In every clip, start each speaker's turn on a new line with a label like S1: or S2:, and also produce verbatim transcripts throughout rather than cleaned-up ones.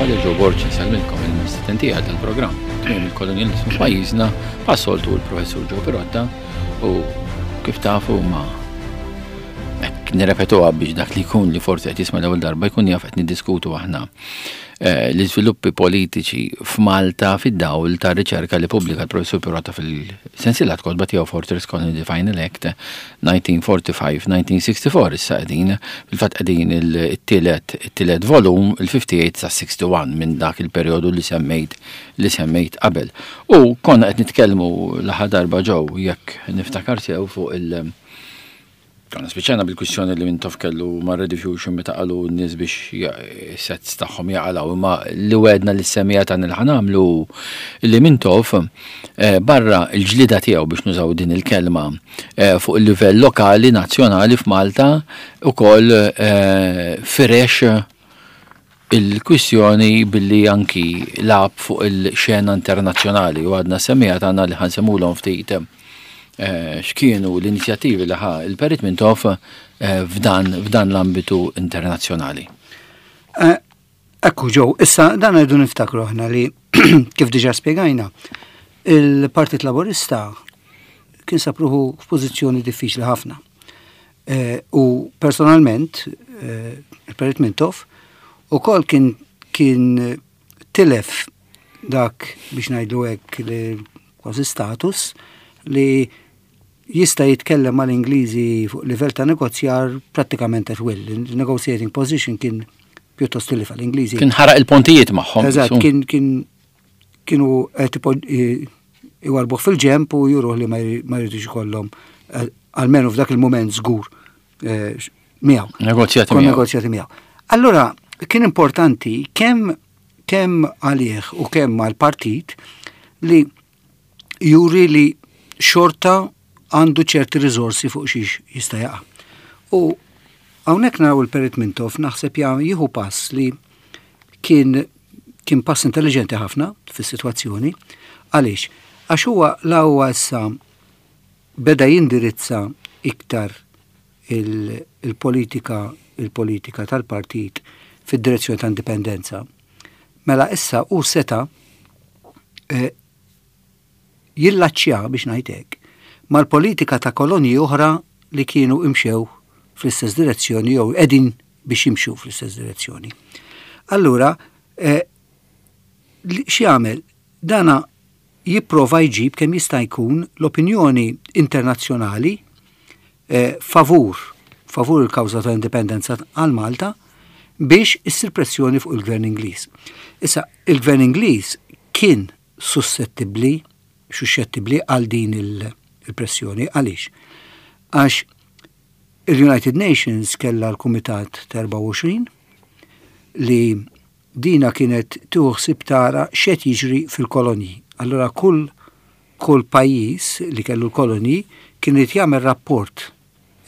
S1: Galea, Joe Borg insellmilkom, il-mistieden tiegħi tal-programm tmiem il-kolonjalizmu f'pajjiżna, bħas-soltu l-Professur Joe Pirotta, u kif tafu ma hekk nirrepetuha biex dak li jkun li forsi qed jisma' l-ewwel darba jkun jaf qed niddiskutu aħna eh, l-iżviluppi politiċi f'Malta fid-dawl ta' riċerka li pubblika l-Professur Pirotta fil-sensiela kotba tiegħu Fortress Colony The Final Act elf disa' mija u erbgħa u ħamsin-elf disa' mija u sitta u sebgħin. Issa qegħdin fil-fatt qegħdin il-tielet it-tielet volum, il-ħamsa u sebgħin sa wieħed u sittin minn dak il-perjodu li semmejt li semmejt qabel. U konna qed nitkellmu l-aħħar darba, Joe, jekk niftakar sew, fuq il- Konna spiċċajna bil-kwistjoni li Mintoff kellu ma' Rediffusion meta qalu n-nies biex sets tagħhom jaqalgħu, imma li wegħedna li semmija ta' li ħa nagħmlu li Mintoff eh, barra il-ġlida tiegħu, biex nużaw din il-kelma, eh, fuq il-livell lokali, nazzjonali f'Malta, ukoll eh, firex il-kwistjoni billi anki lagħab fuq il-xena internazzjonali, u għadna semmija tagħna li ħa nsemmulhom ftit eh, x'kienu l-inizjattivi li ħa il-Perit Mintoff eh, f'dan f'dan l-ambitu internazzjonali.
S2: Eh, Ekku Joe, issa dan għidu niftakru aħna li kif diġa spiegajna, il-Partit Laburista kien sab ruħu f'pożizzjoni diffiċli ħafna. Eh, U personalment, eh, il-Perit Mintoff, ukoll kien kien tilef dak, biex ngħidu hekk, li kważi status li jista' jitkellem mal-Ingliżi fuq livell ta' negozjar prattikament at will. Il-negotiating position kien pjuttost tilif l-Ingliżi.
S1: Kien ħaraq il-pontijiet magħhom.
S2: Eżatt,
S1: su.
S2: kien kien kienu qed ipo- i- iwarbuh fil-ġemp u juruh li ma jri- ma jridux ikollhom eh, almenu f'dak il-moment żgur eh, x- miegħu.
S1: Negozjati
S2: Kon
S1: miegħu.
S2: negozjati miegħu. Allora, kien importanti kemm kemm għalih u kemm għal-partit li juri li xorta għandu ċerti riżorsi fuq xiex jista' jaqa'. U hawnhekk naraw il-Perit Mintoff naħseb ja jieħu pass li kien kien pass intelligenti ħafna fis-sitwazzjoni. Għaliex? Għax huwa la huwa issa beda jindirizza iktar il- il-politika il-politika tal-partit fid-direzzjoni ta' indipendenza. Mela issa u seta eh, jillaċċja, biex ngħidlek, mal-politika ta' kolonji oħra li kienu imxew fl-istess direzzjoni jew qegħdin biex jimxu fl-istess direzzjoni. Allura, eh, li- x'jagħmel? Dana jipprova jġib kemm jista' jkun l-opinjoni internazzjonali eh, favur favur il-kawża ta' indipendenza għal Malta biex issir pressjoni fuq il-gvern Ingliż. Issa, il-gvern Ingliż kien suscettibbli, suscettibbli għal din il- il-pressjoni. Għaliex? Għax il-United Nations kella l-Kumitat ta' erbgħa u għoxrin li dina kienet tuħsib tara x'qed jiġri fil-kolonji. Allora kull kull pajjiż li kellu l-kolonji kien irid jagħmel rapport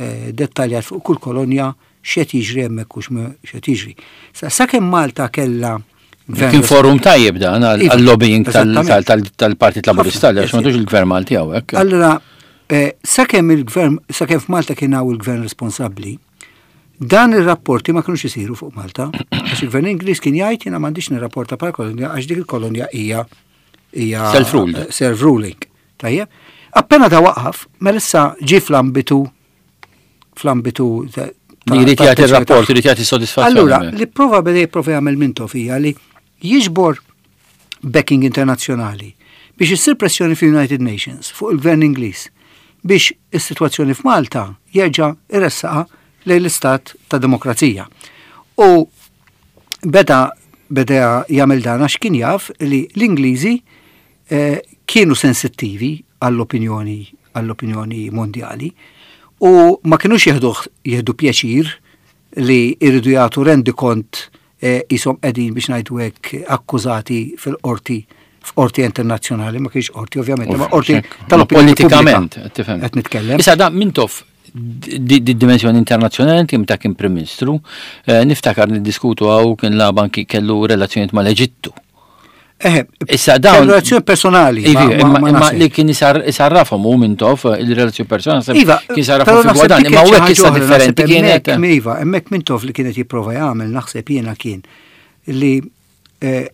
S2: eh, dettaljat fuq kull kolonja, x'qed jiġri hemmhekk u x'ma- x'qed jiġri. Sa sakemm Malta kellha gvern
S1: Kien forum tajjeb dan għal-
S2: Iva,
S1: għal-lobbying tal-
S2: eżattament.
S1: tal- tal- tal-Partit Laburista,
S2: Ħafna,
S1: għax m'għandux il-gvern Malti hawnhekk.
S2: Allora, eh, sakemm il-gvern, sakemm f'Malta kien hawn il-gvern responsabbli, dan ir-rapporti ma kinux isiru fuq Malta, għax il-gvern Ingliż kien jgħid: "Jiena m'għandix nirrapporta bħala kolonja għax dik il-kolonja hija hija
S1: Self-ruled.
S2: eh, Self-ruling. Tajjeb. Appena da waqaf, mela issa ġie fl-ambitu fl-ambitu ta'
S1: Li jrid
S2: ta'
S1: jagħti
S2: attenzjoni
S1: r-rapport,
S2: tagħha.
S1: irid jagħti sodisfazzjoni.
S2: Allura, li prova beda jipprova jagħmel Mintoff hija li jiġbor backing internazzjonali biex issir pressjoni fil-United Nations fuq il-gvern Ingliż biex is-sitwazzjoni f'Malta jerġa' iressaqha lejn l-istat ta' demokrazija. U beda beda jagħmel dan għax kien jaf li l-Ingliżi eh, kienu sensittivi għall-opinjoni għall-opinjoni mondjali u ma kienux jieħdu jieħdu pjaċir li jridu jagħtu rendikont eh, qishom qegħdin, biex ngħidu hekk, akkużati fil-qorti, f'qorti internazzjonali, ma kienx qorti ovvjament, ma qorti tal-opinjoni
S1: Politikament,
S2: pubblika.
S1: tifhem.
S2: Qed nitkellem.
S1: Issa da Mintoff di di dimensjoni internazzjonali kien ta' kien Prim Ministru, eh, niftakar niddiskutu hawn, kien lagħab anki kellu relazzjonijiet mal-Eġittu.
S2: Eh,
S1: Issa dawn
S2: relazzjoni personali.
S1: Ivi,
S2: ma- ma-
S1: imma
S2: ma
S1: imma
S2: naħseb.
S1: li kien isar- isarrafhom u Mintoff il-relazzjoni personali
S2: Iva,
S1: kien isarrafhom
S2: però
S1: fi
S2: naħseb
S1: gwadan,
S2: dik
S1: imma
S2: kienet
S1: hawnhekk
S2: xi
S1: issa
S2: ħaġa oħra,
S1: differenti
S2: naħseb
S1: kienet.
S2: hemmhekk, Iva, hemmhekk Mintoff li kienet jipprova jagħmel, naħseb jiena, kien li eh,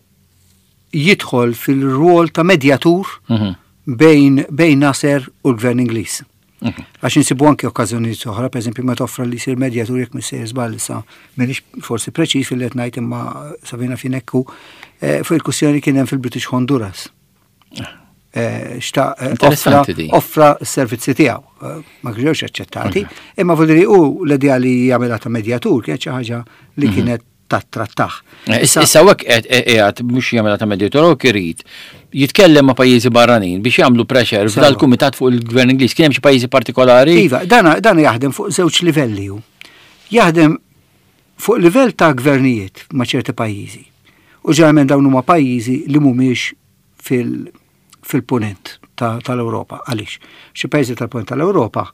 S2: jidħol fil-rwol ta' medjatur
S1: Mhm.
S2: bejn, bejn Nasser u l-gvern Ingliż.
S1: Mhm.
S2: Għax insibu anke okkażjonijiet oħra, per eżempju, meta offra li jsir medjatur jekk m'iniex żball issa, m'iniex forsi preċiż fil qed ngħid imma Savina finekku, eh, fuq il-kwistjoni kien hemm fil-British Honduras. Eh, xta eh,
S1: Interessanti
S2: offra,
S1: di.
S2: offra s-servizzi tiegħu, eh, ma kienx aċċettati, imma vuol u l-idea li jagħmilha ta' medjatur kienet xi ħaġa li kienet tattrattah.
S1: Eh, Issa issa hekk qiegħed mhux jagħmilha ta' medjatur u irid jitkellem ma' pajjiżi barranin biex jagħmlu pressure f'dal kumitat fuq il-gvern Ingliż. Kien hemm xi pajjiżi partikolari?
S2: Iva, dana, dana jaħdem fuq żewġ livelli hu. Jaħdem fuq livell ta' gvernijiet ma' ċerti pajjiżi. U ġeneralment dawn huma pajjiżi li mhumiex fil- fil-punent ta- tal-Ewropa. Għaliex? Xi pajjiżi tal-punent tal-Ewropa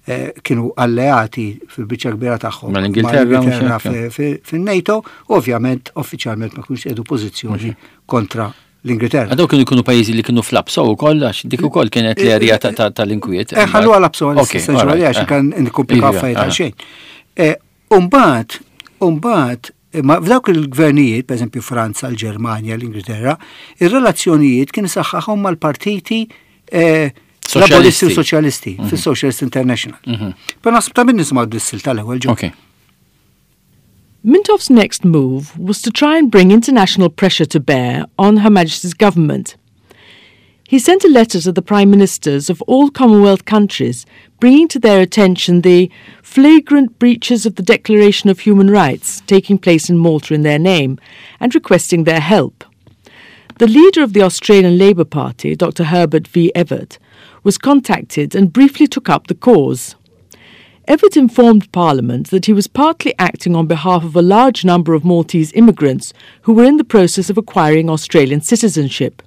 S2: eh, kienu alleati fil-biċċa kbira tagħhom
S1: Mal-Ingilterra,
S2: mal-Ingilterra
S1: mhux hekk?
S2: fi- fi- fin-NATO, u ovvjament uffiċjalment ma kienux qiegħdu pożizzjoni kontra l-Ingilterra.
S1: Għadaw kienu jkunu pajjiżi li kienu fl-APSO wkoll, għax dik ukoll kienet l-erja ta- ta- tal-inkwiet.
S2: Eh, ħallu għal APSO għal
S1: Ok, alright,
S2: għax
S1: eh.
S2: kan nkomplikaw
S1: Iva,
S2: affarijiet
S1: eh.
S2: għal xejn. Eh, Umbagħad, umbagħad, ma f'dawk il-gvernijiet, per eżempju Franza, l-Ġermanja, l-Ingilterra, ir-relazzjonijiet kien saħħaħhom mal-partiti eh, laboristi u
S1: Soċjalisti.
S2: soċjalisti fis-Socialist International. Però naħseb ta' min nisimgħu dis-silta l-ewwel ġo.
S1: Ok.
S3: Mintoff's next move was to try and bring international pressure to bear on Her Majesty's government. He sent a letter to the Prime Ministers of all Commonwealth countries, bringing to their attention the flagrant breaches of the Declaration of Human Rights taking place in Malta in their name, and requesting their help. The leader of the Australian Labor Party, Doctor Herbert V. Evatt, was contacted and briefly took up the cause. Evatt informed Parliament that he was partly acting on behalf of a large number of Maltese immigrants who were in the process of acquiring Australian citizenship.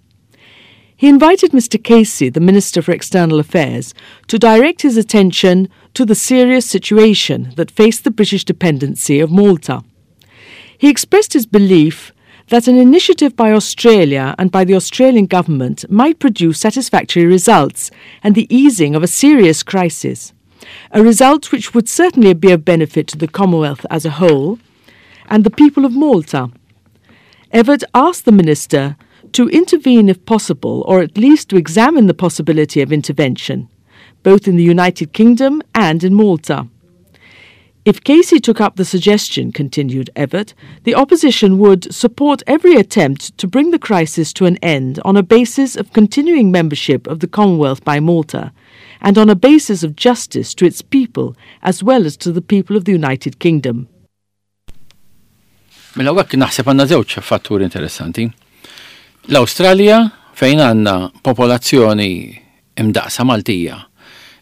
S3: He invited Mister Casey, the Minister for External Affairs, to direct his attention to the serious situation that faced the British dependency of Malta. He expressed his belief that an initiative by Australia and by the Australian government might produce satisfactory results and the easing of a serious crisis, a result which would certainly be of benefit to the Commonwealth as a whole and the people of Malta. Evatt asked the minister to intervene if possible, or at least to examine the possibility of intervention, both in the United Kingdom and in Malta. If Casey took up the suggestion, continued Evatt, the opposition would support every attempt to bring the crisis to an end on a basis of continuing membership of the Commonwealth by Malta, and on a basis of justice to its people as well as to the people of the United Kingdom.
S1: Mela hekk naħseb għandna żewġ fatturi interessanti. L-Awstralja fejn għandna popolazzjoni imdaqsa Maltija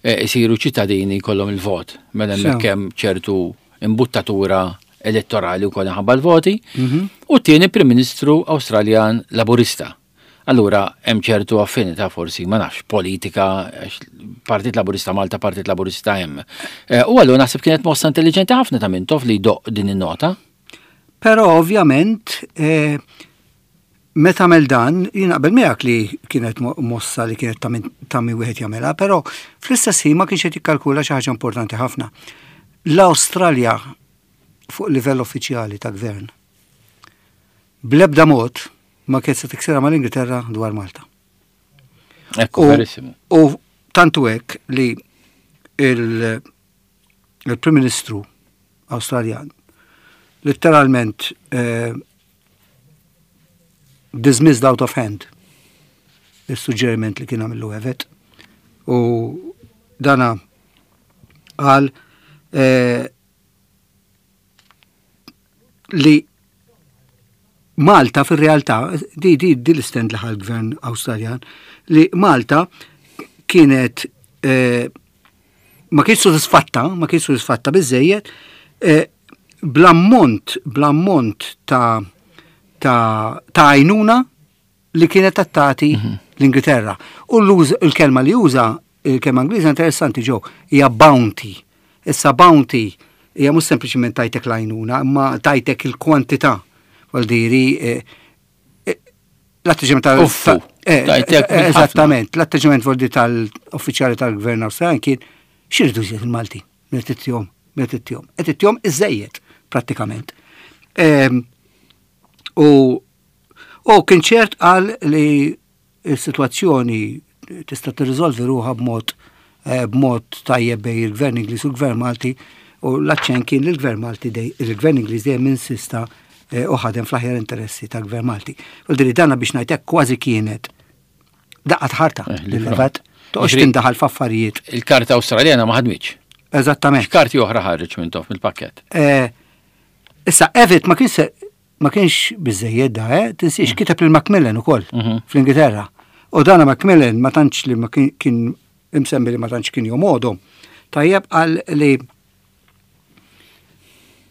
S1: eh, isiru ċittadini kollhom il-vot, mela hemmhekk hemm ċertu imbuttatura elettorali u kollha ħabba l-voti, u t-tieni Prim Ministru Awstraljan Laburista. Allura hemm ċertu affinità forsi, ma nafx, politika, għax Partit Laburista Malta, Partit Laburista hemm. Eh, U allura naħseb kienet mossa intelligenti ħafna ta' Mintoff li jdoqq din in-nota.
S2: Però ovvjament eh, meta għamel dan, jien naqbel miegħek li kienet mo- mossa li kienet ta' min- ta' min wieħed jagħmilha, però fl-istess ħin ma kienx qed jikkalkula xi ħaġa importanti ħafna. L-Awstralja fuq livell uffiċjali ta' gvern bl-ebda mod ma kienet se tiksirha mal-Ingilterra dwar Malta.
S1: Ekku,
S2: U-
S1: verissimu.
S2: U tantu hekk li il- il-Prim Ministru Awstraljan letteralment eh, dismissed out of hand il-suġġeriment li kien għamillu Evatt u dana għal eh, li Malta fil-realtà, di di di l-stand li ħa l-gvern Awstraljan, li Malta kienet eh, ma kienx sodisfatta, ma kienx sodisfatta biżejjed, eh, bl-ammont, bl-ammont ta' ta' ta' għajnuna li kienet tagħti l-Ingilterra. U l-uż- il-kelma li uża, il-kelma Ingliża interessanti ġo, hija bounty. Issa bounty hija mhux sempliċiment tajtek l-għajnuna, imma tajtek il-kwantità. Vuol diri, eh, eh, l-atteġġament tal-
S1: Uffu,
S2: ta- eh,
S1: tajtek
S2: eh,
S1: minn ħafna.
S2: Eżattament, l-atteġġament vuol dire tal-uffiċjali tal-gvern Awstraljan kien x'iridu jżid il-Malti, meta ittihom, meta ittihom. Qed ittihom iżejjed prattikament. Ehm, U U kien ċert qal li s-sitwazzjoni tista' tirriżolvi ruħha b'mod eh, b'mod tajjeb bejn il-Gvern Ingliż u l-Gvern Malti u l-aċċent kien li l-Gvern Malti dej il-Gvern Ingliż dejjem insista eh, u ħadem fl-aħjar interessi tal-Gvern Malti. U diri dana biex ngħidlek kważi kienet daqqa ta' ħarta
S1: Eh, li
S2: lil Evatt, toqgħodx
S1: Jiġri-
S2: tindaħal f'affarijiet.
S1: Il-karta Awstraljana ma ħadmitx.
S2: Eżattament.
S1: X'karti oħra ħareġ Mintoff mill-pakket?
S2: Eh, Issa, Evatt ma kienx ma kienx biżejjed da, eh? Tinsiex kiteb lil Macmillan ukoll
S1: Mhm.
S2: fl-Ingilterra. U dana Macmillan ma tantx li ma kien kien imsemmi li ma tantx kien jomodhom. Tajjeb qal li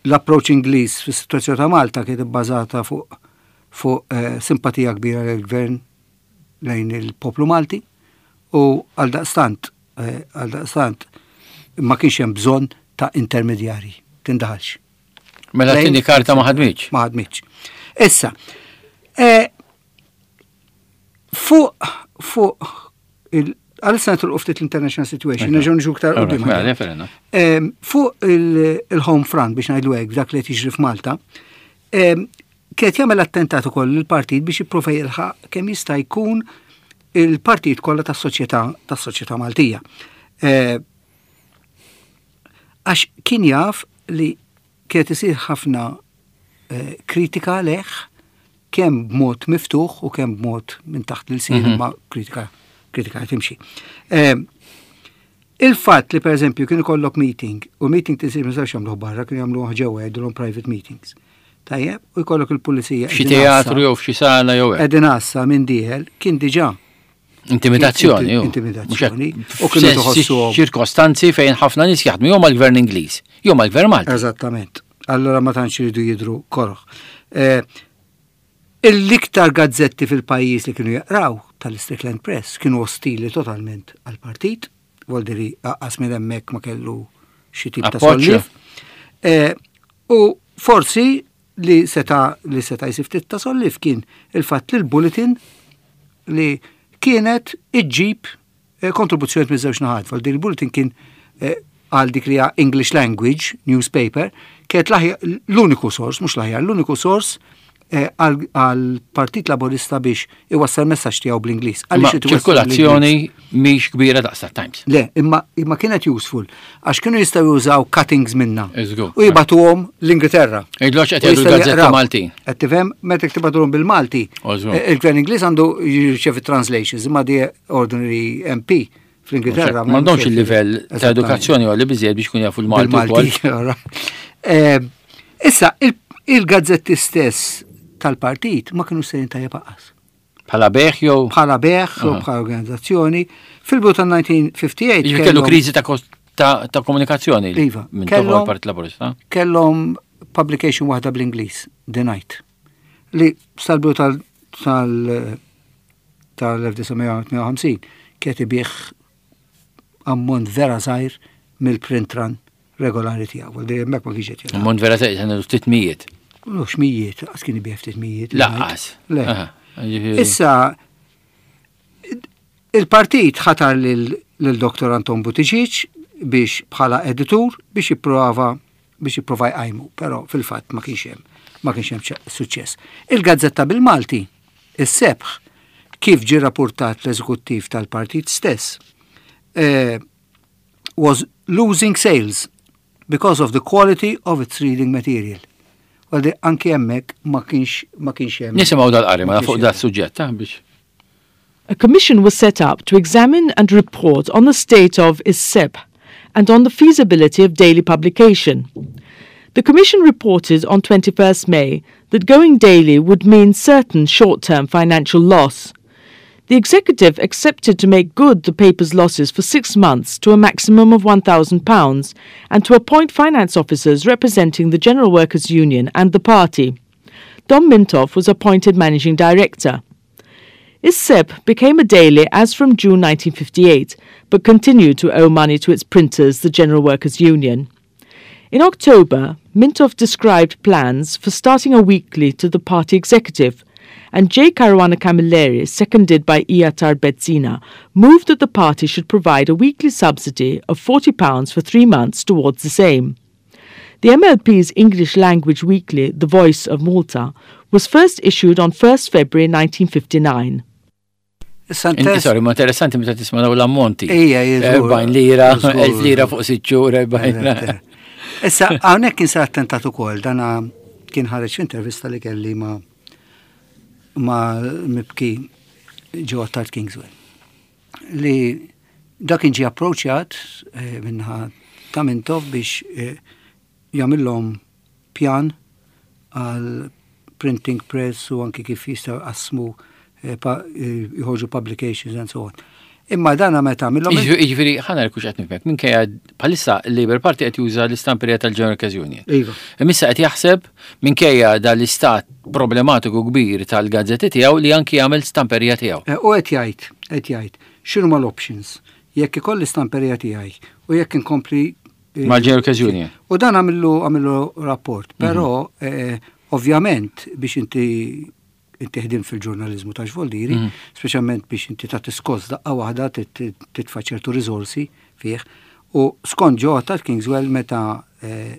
S2: l-approach Ingliż fis-sitwazzjoni ta' Malta kienet ibbażata fuq fuq eh, simpatija kbira lill-gvern lejn il-poplu Malti u għal daqstant eh, għal daqstant ma kienx hemm bżonn ta' intermedjari, tindaħalx.
S1: Mela
S2: Lejn-
S1: t-tieni karta ma ħadmitx.
S2: Ma ħadmitx. Issa, eh, fuq fuq il għalissa nitilqu ftit l-international situation, nerġgħu niġu iktar quddiem.
S1: Mela, fair enough.
S2: Em, Fuq il- il-home front biex ngħidu hekk dak li qed jiġri f'Malta, em, kienet jagħmel attentat ukoll il-partit biex jipprova jilħaq kemm jista' jkun il-partit kollha tas-soċjetà tas-soċjetà Maltija. Eh, Għax kien jaf li kienet isir ħafna eh, kritika leħ kemm b'mod miftuħ u kemm b'mod minn taħt l-ilsien
S1: Mhm.
S2: ma kritika kritika timxi. Eh, Il-fatt li per eżempju kien ikollok meeting u meeting tisir ma jistgħux jagħmluh barra, kienu jagħmluh ġewwa jgħidulhom private meetings. Tajjeb, u jkollok il-pulizija.
S1: F'xi
S2: qegħdin
S1: teatru
S2: għassa-
S1: jew f'xi sala jew hekk.
S2: Qegħdin għassa minn dieħel kien diġà
S1: Intimidazzjoni, ju.
S2: Intimidazzjoni.
S1: Mhux
S2: U
S1: hekk,
S2: kienu
S1: f'sens
S2: tħossuhom.
S1: ċirkostanzi fejn ħafna nies jaħdmu jew mal-gvern Ingliż, jew mal-gvern Malti.
S2: Eżattament. Allora ma tantx iridu jidru koroħ. Eh, L-iktar gazzetti fil-pajjiż li kienu jaqraw tal-Strickland Press kienu ostili totalment għal-partit, voldiri aqqas minn hemmhekk ma kellu xi tip ta'
S1: Appoġġ.
S2: solliev. Eh, U forsi li seta li seta jsib ftit ta' solliev kien il-fatt li l-bulletin li kienet iġġib eh, kontribuzzjoni minn żewġ naħat. Voldiri il-bulletin kien eh, għal dik li hija English language newspaper, kienet l-aħjar- l-uniku sors, mhux l-aħjar, l-uniku sors eh, għal għal Partit Laborista biex iwassal messaġġ tiegħu bl-Ingliż.
S1: Imma
S2: Għaliex irid iwassal
S1: ċirkolazzjoni mhix kbira daqs Times.
S2: Le, imma, imma kienet useful, għax kienu jistgħu jużaw cuttings minna.
S1: Iżgur.
S2: U jibagħtuhom l-Ingilterra.
S1: Jgħidlox qed
S2: U
S1: jgħidu
S2: jistgħu
S1: l-gazzetta
S2: jaqraw.
S1: Maltin.
S2: Qed tifhem, meta tibagħtuhom bil-Malti,
S1: Użgur.
S2: eh, il-gvern Ingliż għandu jirċevi translations, imma di ordinary M P fl-Ingilterra.
S1: M'għandhomx il-livell ta'
S2: Eżattament.
S1: edukazzjoni għalli biżejjed biex kun jafu l-Malti wkoll.
S2: Bil-Malti. Alright. Eh, Issa, il- il-gazzetti stess tal-partit ma kienu sejrin tajjeb aqqas.
S1: Bħala bejgħ jew
S2: Bħala bejgħ u
S1: Aha.
S2: bħala organizzazzjoni. Fil-bidu tal-elf disa' mija ħamsa u ħamsin
S1: Jiġifieri kellu kriżi ta' kos- ta' ta' komunikazzjoni
S2: Iva,
S1: minn
S2: kellhom-
S1: toħol Partit Laburista.
S2: Kellhom publication waħda bl-Ingliż, The Night, li sal-bidu tal- tal- tal-elf disa' mija tmienja u ħamsin kienet ibigħ ammont vera żgħir mill-print run regolari tiegħu. Għal hemmhekk ma kienx qed jilgħab.
S1: Ammont vera żgħir, għandu ftit mijiet.
S2: Mhux mijiet, għax kien ibigħ ftit mijiet.
S1: Lanqas.
S2: Le.
S1: Aha, jiġifieri-
S2: Issa, il-partit ħatar lil lil Doktor Anton Buttigieg biex bħala editur biex jipprova biex jipprova jqajmu, però fil-fatt ma kienx hemm ma kienx hemm ċe- suċċess. Il-gazzetta bil-Malti, Is-Sebħ, kif ġi rapportat l-eżekuttiv tal-partit stess, eh, was losing sales because of the quality of its reading material. Għaldi anki hemmhekk ma kienx ma kienx hemm.
S1: Nisimgħu dal-qari, ma
S2: ma
S1: fuq
S2: kienx
S1: da
S2: hemm.
S1: suġġett, ah, biex.
S3: A commission was set up to examine and report on the state of Is-Sebħ and on the feasibility of daily publication. The commission reported on twenty-first May that going daily would mean certain short-term financial loss. The executive accepted to make good the paper's losses for six months to a maximum of one thousand pounds and to appoint finance officers representing the General Workers' Union and the party. Dom Mintoff was appointed managing director. Is-Sebħ became a daily as from June nineteen fifty-eight, but continued to owe money to its printers, the General Workers' Union. In October, Mintoff described plans for starting a weekly to the party executive, and J. Caruana Camilleri, seconded by E. Attard Bezzina, moved that the party should provide a weekly subsidy of forty pounds for three months towards this aim. The M L P's English language weekly, The Voice of Malta, was first issued on first February nineteen fifty-nine.
S2: Issa
S1: Inti, sorry, ma interessanti meta tisma' dawn l-ammonti.
S2: Ija, żgur.
S1: Erbgħin lira,
S2: Żgur.
S1: elf lira fuq sitt xhur, erbgħin.
S2: Issa, hawnhekk kien sar attentat ukoll, dana kien ħareġ intervista li kelli ma ma mibki Joe Attard Kingswell. Li dak kien ġie approċjat eh, minnaħa ta' Mintoff biex eh, jagħmilhom pjan għal printing press u anki kif jistgħu jqassmu eh, pa- eh, joħorġu publications and so on. Imma dana meta għamilhom
S1: Jiġifieri, ħa nara hux qed nifhmek, minkejja bħalissa il-Labour Party qed juża l-istamperija tal-General Workers Union.
S2: Iva.
S1: Imissa qed jaħseb, minkejja dal-istat problematiku kbir tal-gazzetti tiegħu, li anki jagħmel stamperija tiegħu.
S2: Eh, U qed jgħid, qed jgħid, x'inhu l-options? Jekk ikolli stamperija tiegħi u jekk inkompli eh,
S1: Mal-General Workers Union.
S2: U dan għamillu għamillu rapport, però eh, ovvjament biex inti inti ħdim fil-ġurnalizmu ta' xvoldiri,
S1: Mhm.
S2: speċjalment biex inti ta' tiskos daqqa waħda tit- titfa' ċertu riżorsi fih. U skont Joe ta' Kingswell meta eh,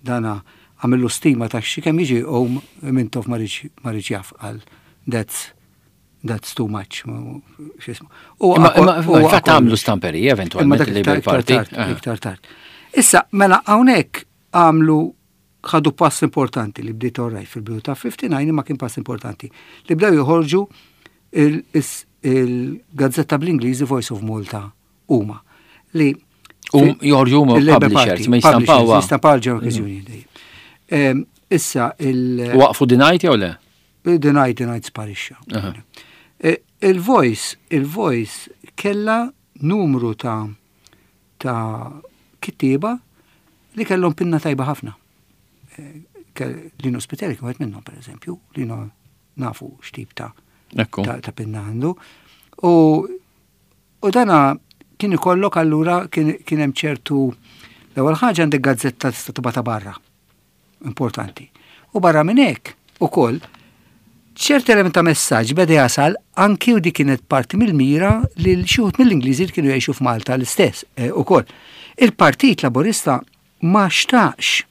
S2: dana għamillu stima ta' xi kemm jiġi u Mintoff ma riedx jaf, għal that's that's too much. X'ismu. U
S1: Imma
S2: u-
S1: imma
S2: u-
S1: fatt għamlu stamperija
S2: Imma
S1: eventualment
S2: dak
S1: il-Labour
S2: iktar iktar
S1: Party.
S2: tard,
S1: Ah.
S2: iktar tard. Issa, mela hawnhekk għamlu ħadu pass importanti li bdiet orrajt fil-bidu ta' ħamsa u ħamsin, imma kien pass importanti li bdew joħorġu il- is- il-gazzetta bl-Ingliż Voice of Malta huma li
S1: U joħorġu huma
S2: il-Labour
S1: publishers,
S2: Party,
S1: ma jistampawha.
S2: publishers, jistampaw il-General Workers Union dejjem. Em, Issa il-
S1: Waqfu The Knight jew le?
S2: The Knight, The Knight sparixxa.
S1: Aha.
S2: Eh, Il-Voice, il-Voice kella numru ta' ta' kittieba li kellhom pinna tajba ħafna. Eh, ke- Lino Spiteri kien wieħed minnhom, per eżempju, Lino nafu x'tip ta'
S1: Ekku.
S2: ta', ta' pinna għandu. U, u dana kien ikollok allura kien kien hemm ċertu, l-ewwel ħaġa, għandek gazzetta tista' tibgħatha barra. Importanti. U barra minn hekk ukoll ċert element ta' messaġġ beda jasal anki, u di kienet parti mill-mira li xi wħud mill-Ingliżi li kienu jgħixu f'Malta l-istess eh, ukoll. Il-Partit Laburista ma xtaqx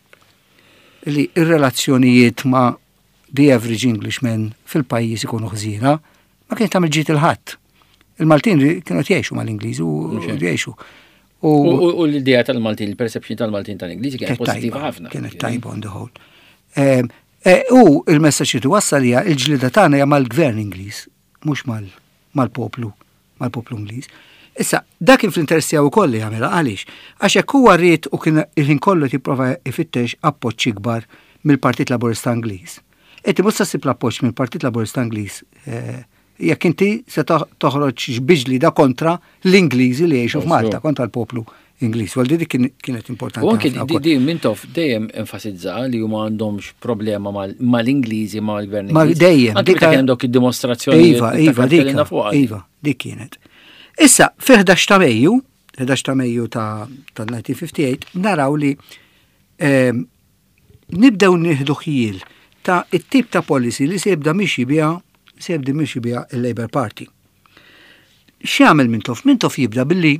S2: li ir-relazzjonijiet ma' the average Englishman fil-pajjiż ikunu ħżiena, ma kien tagħmel ġid lil ħadd. Il-Maltin li kienu jgħixu mal-Ingliżi u
S1: Mhux hekk.
S2: jgħixu.
S1: U u- u l-idea tal-Maltin, il-perception tal-Maltin tal-Ingliżi kienet pożittiva
S2: tajba,
S1: ħafna.
S2: Kienet tajba on the whole. Em, eh, U il-messaġġ li wassal hija il-ġlida tagħna hija mal-gvern Ingliż, mhux mal- mal-poplu, mal-poplu Ingliż. Issa, dak kien fl-interess tiegħu wkoll li jagħmilha. Għaliex? Għax hekk huwa ried u kien il-ħin kollu jipprova ifittex appoġġ ikbar mill-Partit Laburista Ingliż. Inti mhux se ssib l-appoġġ mill-Partit Laburista Ingliż eh, jekk inti se toħ- toħroġ bi ġlida kontra l-Ingliżi li jgħixu f'Malta, kontra l-poplu Ingliż. Għal di kien- kienet importanti
S1: U anke
S2: ħafna
S1: di
S2: wkoll.
S1: di Mintoff dejjem enfasizza li huma għandhomx problema mal- mal-Ingliżi, mal-gvern
S2: Ma
S1: Ingliż.
S2: dejjem,
S1: Anke meta
S2: dika-
S1: kien hemm dawk id-dimostrazzjonijiet.
S2: Iva, iva, dik, iva, dik kienet. Issa, fi ħdax ta' Mejju, ħdax ta' Mejju ta' ta' elf disa' mija ħamsa u ħamsin, naraw li ehm, nibdew nieħdu ħjiel ta' it-tip ta' policy li se jibda mixi biha, se jibda mixi biha il-Labour Party. X'jagħmel Mintoff? Mintoff jibda billi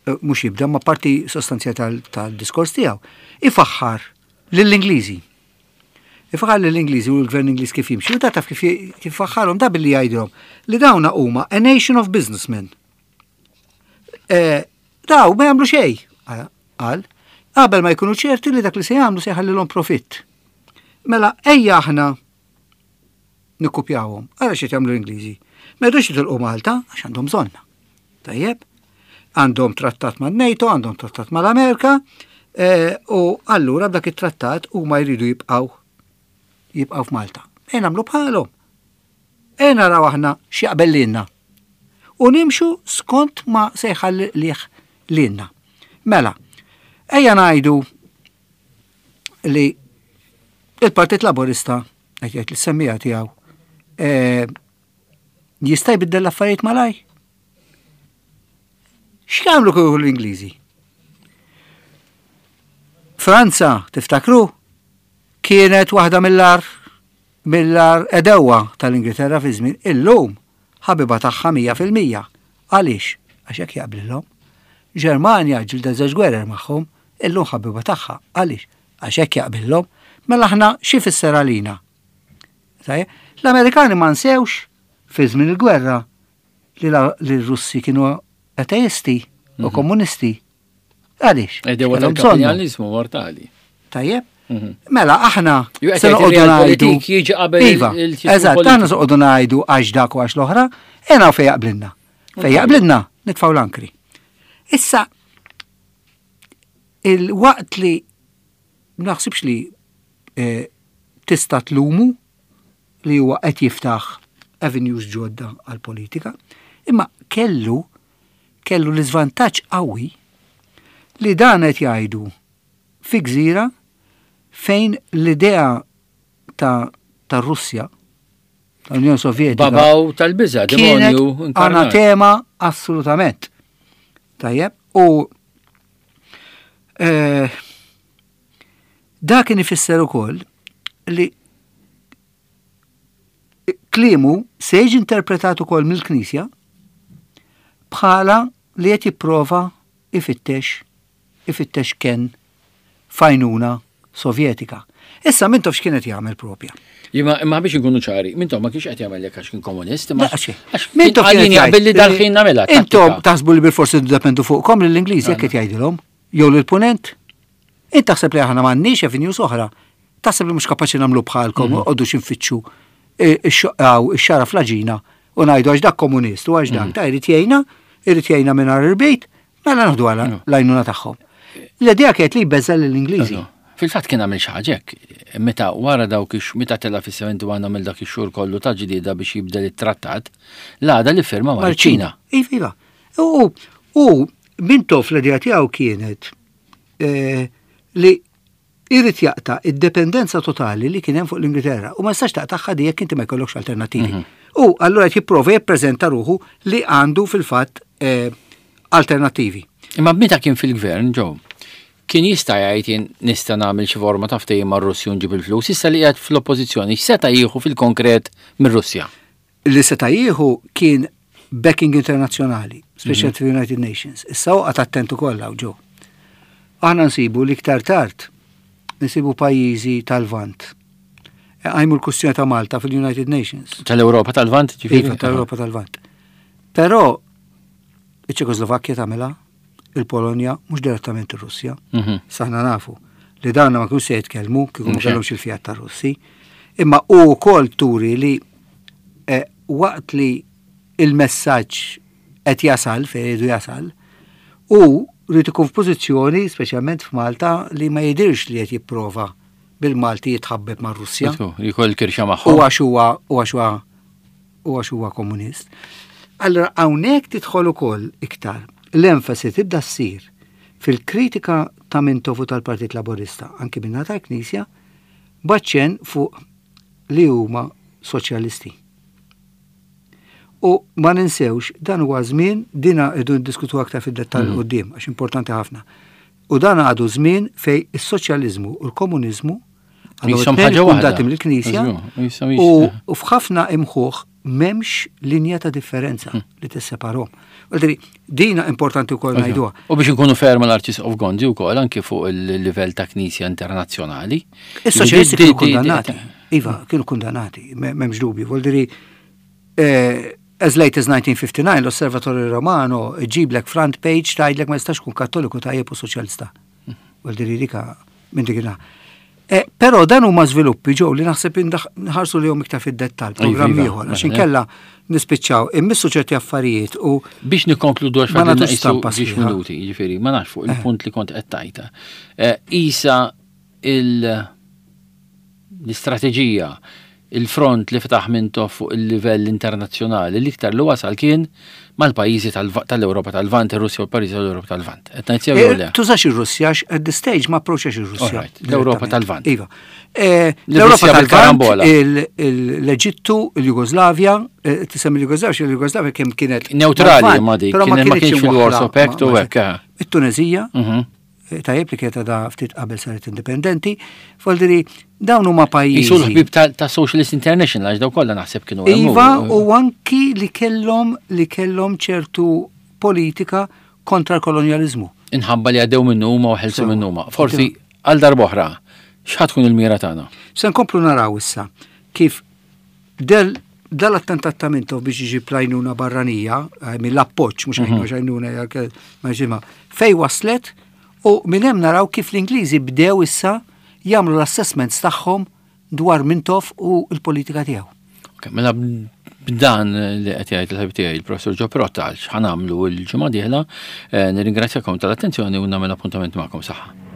S2: eh, mhux jibda, ma parti sostanzjali tal- tal-diskors tiegħu ifaħħar lill-Ingliżi. Ifaħħar lill-Ingliżi u l-gvern Ingliż kif jimxi. U ta' taf kif kif faħħarhom da? Billi jgħidilhom li dawna huma a nation of businessmen. Eh, Daw ma jagħmlu xejn, qal, qabel ma jkunu ċerti li dak li se jagħmlu se jħallilhom profitt. Mela ejja aħna nikkupjawhom. Ara xi jagħmlu l-Ingliżi. Ma jridux jitilqu Malta għax għandhom bżonna. Tajjeb? Għandhom trattat man-NATO, għandhom trattat mal-Amerika, eh, u allura b'dak it-trattat huma jridu jibqgħu jibqgħu f'Malta. E nagħmlu bħalhom. E naraw aħna x'jaqbel lilna. U nimxu skont ma se jħalli liħ lilna. Mela, ejja ngħidu li il-Partit Laburista, qed jgħid l-semmija tiegħu, eh, jista' jbiddel l-affarijiet malaj? X'jagħmlu kieku l-Ingliżi? Franza, tiftakru, kienet waħda mill-agħar mill-agħar għedewwa tal-Ingilterra fi żmien, illum ħabiba tagħha mija fil-mija. Għaliex? Għax hekk jaqblilhom. Ġermanja ġilda żewġ gwerer magħhom, illum ħabiba tagħha. Għaliex? Għax hekk jaqbillhom, mela aħna xi fisser għalina? L-Amerikani ma nsewx fi żmien il-gwerra li l-Russi kienu ateisti u mhm. komunisti. Għaliex?
S1: Edew tal-kapitalizmu mortali.
S2: Tajjeb? Mhm. Mela, aħna se noqogħdu ngħidu.
S1: Jiġi qabel
S2: iva, eżatt, aħna se noqogħdu ngħidu għax dak u għax l-oħra, ena fejn jaqblilna. Fejn jaqblilna, nitfgħu l-ankri. Issa, il-waqt li naħsibx li eh, tista' tlumu li huwa qed jiftaħ avenues ġodda għal-politika, imma kellu kellu l-iżvantaġġ qawwi li dan qed jgħidu fi gżira fejn l-idea ta' ta' Russja, tal-Unjoni Sovjetika.
S1: Babaw tal-biża, demonju.
S2: Anatema assolutament. Tajjeb, u eh, dak kien ifisser ukoll li kliemu se jiġi interpretat ukoll mill-Knisja bħala li qed jipprova ifittex ifittex ken fajnuna Sovjetika. Issa Mintoff x'kienet jagħmel propja?
S1: Imma imma biex inkunu ċari, Mintoff ma kienx qed jagħmel hekk għax kien komunist,
S2: imma għax
S1: Mintoff kien jaqbel li dal-ħin nagħmilha.
S2: Intom taħsbu li bil-forsi ddependu fuqkom lill-Ingliżi jekk qed jgħidilhom jew lill-Punent. Int taħseb li aħna m'għandniex avenues oħra. Taħseb li mhux kapaċi nagħmlu bħalkom u qogħdu x'infittxu ix-xara fl-għaġina u ngħidu għax dak komunist u għax dak mm. ta' jrid jgħinna, irid jgħinna mingħajr il-bejt, mela naħdu għala mm. l-għajnuna tagħhom. L-idea kienet li jbeżza lill-Ingliżi.
S1: Fil-fatt kien għamil xi ħaġa hekk, meta wara dawk ix meta tela' fis-sebgħa u sebgħin għamel dak ix-xhur kollu ta' ġlieda biex jibdel it-trattat, l-għada li firma mal-Ċina.
S2: Iva, iva. U u Mintoff l-idea tiegħu kienet eh, li irid jaqta' id-dependenza totali li kien hemm fuq l-Ingilterra u ma jistax taqtagħha di jekk inti ma jkollokx alternattivi. Mhm. U allura qed jipprova jippreżenta ruħu li għandu fil-fatt eh, alternattivi.
S1: Imma meta kien fil-gvern, ġo, kien jista' jgħid jien nista' nagħmel xi forma ta' ftehim mar-Russja u nġib il-flus, issa li qiegħed fl-oppożizzjoni, x'seta' jieħu fil-konkret mir-Russja?
S2: Li seta' jieħu kien backing internazzjonali, speċjalment mm -hmm. United Nations. Issa oqgħod attent ukoll hawn ġo. Aħna nsibu li iktar tard nsibu pajjiżi tal-Lvant. Għajmu l-kustjoni ta' Malta fil-United Nations.
S1: Tal-Europa tal-Lvant?
S2: Iva, tal-Europa tal-Lvant. Però iċ-Ċekoslovakkja tagħmilha, il-Polonja, mhux direttament ir-Russja. Mhm. Saħna nafu li dawna ma kienux se jitkellmu kieku ma kellhomx il-fiat tar-Russi. Imma u wkoll turi li eh, waqt li il-messaġġ qed jasal fejn jridu jasal, u rrid ikun f'pożizzjoni, speċjalment f'Malta, li ma jidirx li qed jipprova bil-Malti jitħabbeb mar-Russja.
S1: Jkoll kirxa magħhom.
S2: U għax huwa u għax huwa u għax huwa komunist. Allora hawnhekk tidħol ukoll iktar l-enfasi tibda ssir fil-kritika ta' Mintoff u tal-Partit Laburista, anki minna tal-Knisja, b'aċċenn fuq li huma soċjalisti. U ma ninsewx, dan huwa żmien dina rridu niddiskutu aktar fid-dettall mm. quddiem għax importanti ħafna. U dan għadu żmien fej is-soċjaliżmu u l-komuniżmu
S1: għandhom ħaġa waħda
S2: mill-Knisja u f'ħafna imħuħ m'hemmx linja ta' differenza mm. li tisseparhom. Dina importanti wkoll ngħiduha.
S1: U biex nkunu ferma l-Arċisqof Gonzi wkoll anke fuq il-livell ta' Knisja internazzjonali.
S2: Is-soċjalisti kienu kundannati. Iva, kienu kundannati, m'hemmx dubju. Vuol dire eh, as late as nineteen fifty-nine l-Osservatore Romano ġiblek front page tgħidlek ma jistax kun kattoliku tajjeb u soċjalista. Vuol dire dika minn dik Eh, Però dan huma żviluppi ġew li naħseb nħarsu li iktar fid-dettall, programm iva, ieħor, għax inkella nispiċċaw immissu ċerti affarijiet u
S1: Biex nikkonkludu għax ma nagħtux stampa minuti, jiġifieri, ma nafx fuq eh. il-punt li kont qed tajta. Eh, isa il l-istrateġija, il-front li fetaħ Mintoff fuq il-livell internazzjonali, l-iktar li wasal kien mal-pajjiżi tal-Ewropa tal-Lvant, ir-Russja u l-pajjiżi tal-Ewropa tal-Lvant.
S2: Qed ngħid sew jew le? Tużax ir-Russja at the stage ma approċċax ir-Russja.
S1: L-Ewropa tal-Lvant.
S2: Iva. Eh, L-Ewropa tal-Lvant, l-Eġittu, il-Jugoslavja, eh, tisem il-Jugoslavja, il-Jugoslavja kemm kienet
S1: neutrali ma dik, però ma kienx fil-Warsaw Pact u hekk. Eh.
S2: It-Tunezija, mhm. tajjeb li kienet da ftit qabel saret indipendenti, vuol dawn huma pajjiżi.
S1: Isu l-ħbib ta' Socialist International, għax daw kollha naħseb kienu.
S2: Iva, u anki li kellhom li kellhom ċertu politika kontra l-kolonjalizmu.
S1: Inħabba li għaddew minnu huma u ħelsu minnu huma. Forsi Għal darb'oħra, x'ħa tkun il-mira tagħna?
S2: Se nkomplu naraw issa kif del dal-attentat ta' Mintoff biex iġib l-għajnuna barranija, eh, mill-appoġġ, mhux għajnuna għajnuna ma ġimgħa, fej waslet u minn hemm naraw kif l-Ingliżi bdew issa jagħmlu l-assessments tagħhom dwar Mintoff u l-politika tiegħu.
S1: Ok, mela b'dan li qed jgħid il-ħabib tiegħi il-Professor Joe Pirotta għal x'ħa nagħmlu l-ġimgħa dieħla, eh, nirringrazzjakom tal-attenzjoni u nagħmel appuntament magħkom saħħa.